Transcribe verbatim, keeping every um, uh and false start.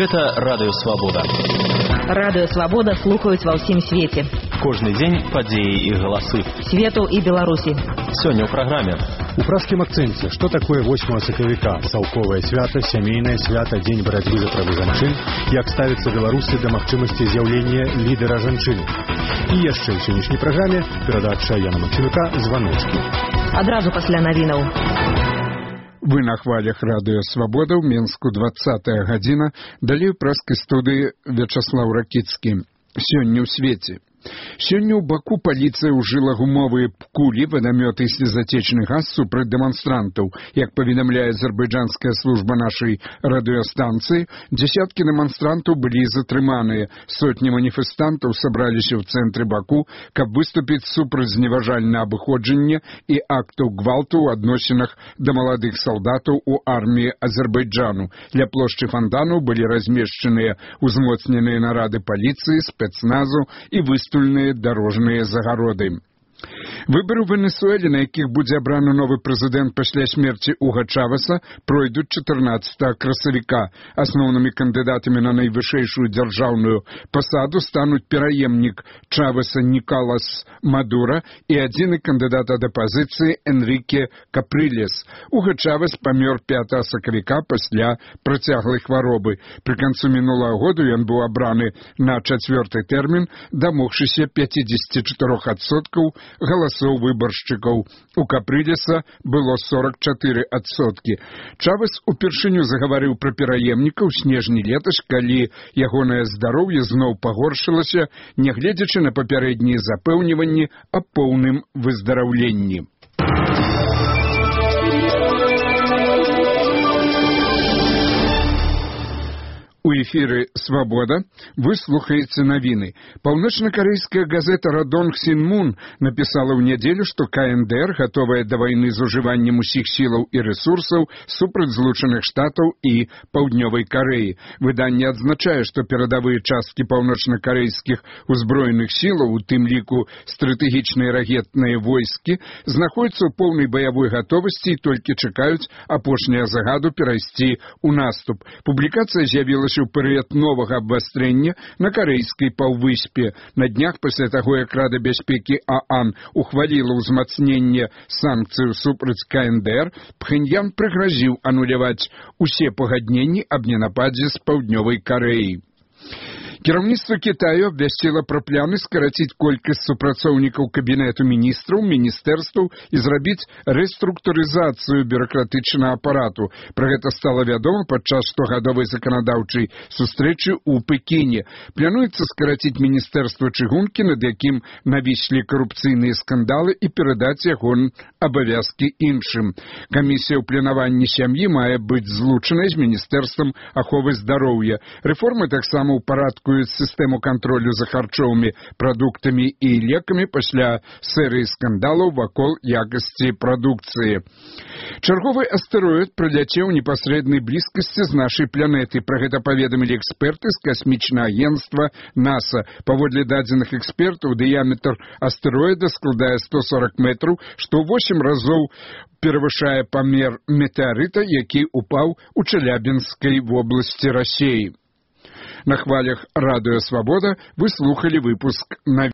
Гэта Радыё Свабода. Радыё Свабода слухаюць ва ўсім свеце. Кожны дзень падзеі і галасы. Свету і Беларусі. Сёння ў праграме. У пражскім акцэнце, што такое восьмага сакавіка, цалковае свята, сямейнае свята, дзень барацьбы за правы жанчын, як ставяцца беларусы да магчымасці з'яўлення лідара жанчыны. І яшчэ ў сённяшняй праграме перадача Яна Максімюка «Званочкі». Адразу пасля навінаў. Вы на хвалях Радыё Свабода ў Менску двадцатая гадзіна, далей у пражскай студыі Вячаслаў Ракіцкі. Сёння ў свеце. Сёння ў Баку паліцыя ўжыла гумовыя кулі, вадамёты і слезатечны газ супраць дэманстрантаў. Як паведамляе азербайджанская служба нашай радыёстанцыі, дзесяткі дэманстрантаў былі затрыманыя. Сотні маніфестантаў сабраліся ў цэнтры Баку, каб выступіць супраць зневажальнага абыходжання і актаў гвалту ў адносінах да маладых салдатаў у арміі Азербайджану. Ля плошчы фонтанаў былі размешчаныя узмоцненыя нарады паліцыі, спецназу і выступы дорожныя загароды. Выбары ў Венесуэле, на якіх будзе абраны новы прэзідэнт пасля смерці Уга Чавеса, пройдуць чатырнаццатага красавіка. Асноўнымі кандыдатамі на найвышэйшую дзяржаўную пасаду стануць пераемнік Чавеса Николас Мадура і адзіны кандыдат ад апазіцыі Энрике Каприлес. Уга Чавес памёр пятага сакавіка пасля працяглай хваробы. Пры канцу мінулага году ён быў абраны на чацвёрты тэрмін, дамогшыся пяцьдзесят четыре адсоткаў галасоў выбаршчыкаў. У Каприлеса было сорок чатыры адсоткі. Чавес упершыню загаварыў пра пераемніка ў снежні летась, калі ягонае здароўе зноў пагоршылася, нягледзячы на папярэднія запэўніванні аб поўным выздараўленні. У эфіры «Свабода» вы слухаеце навіны. Паўночна-карэйская газета «Радонг Сінмун» напісала ў нядзелю, што ка эн дэ эр гатовая да вайны з ужываннем усіх сілаў і рэсурсаў супраць Злучаных Штатаў і Паўднёвай Карэі. Выданне адзначае, што перадавыя часткі паўночна-карэйскіх узброеных сілаў, у тым ліку стратэгічныя ракетныя войскі, знаходзяцца ў поўнай баявой гатовасці і толькі чакаюць апошняга загаду перайсці ў наступ. Публікацыя з'явілася у перыяд новага абвастрэння на карэйскай паўвыспе. На днях пасля таго, як Рада бяспекі ААН ухваліла ўзмацненне санкцыяў супраць ка эн дэ эр, Пхэньян прыгразіў ануляваць усе пагадненні аб ненападзе з Паўднёвай Карэі. Кіраўніцтва Кітаю абвясціла пра планы скараціць колькасць супрацоўнікаў кабінету міністраў, міністэрстваў і зрабіць рэструктурызацыю бюракратычнага апарату. Пра гэта стала вядома падчас штогадовай заканадаўчай сустрэчы ў Пекіне. Плануецца скараціць міністэрства чыгункі, над якім навіслі карупцыйныя скандалы, і перадаць яго абавязкі іншым. Камісія ў планаванні сям'і мае быць злучанай з міністэрствам аховы здароўя. Рэформы таксама ў парадку сістэму кантролю за харчовымі прадуктамі і лекамі пасля серыі скандалаў вакол якасці прадукцыі. Чарговы астэроід праляцеў у непасрэднай блізкасці з нашай планеты. Пра гэта паведамілі эксперты з касмічнага агенцтва НАСА. Паводле дадзеных экспертаў, дыяметр астэроіда складае сто сорок метраў, што ў восем разоў перавышае памер метэарыта, які упаў у Челябінскай вобласці Расіі. На хвалях Радыё Свабода вы слухали выпуск на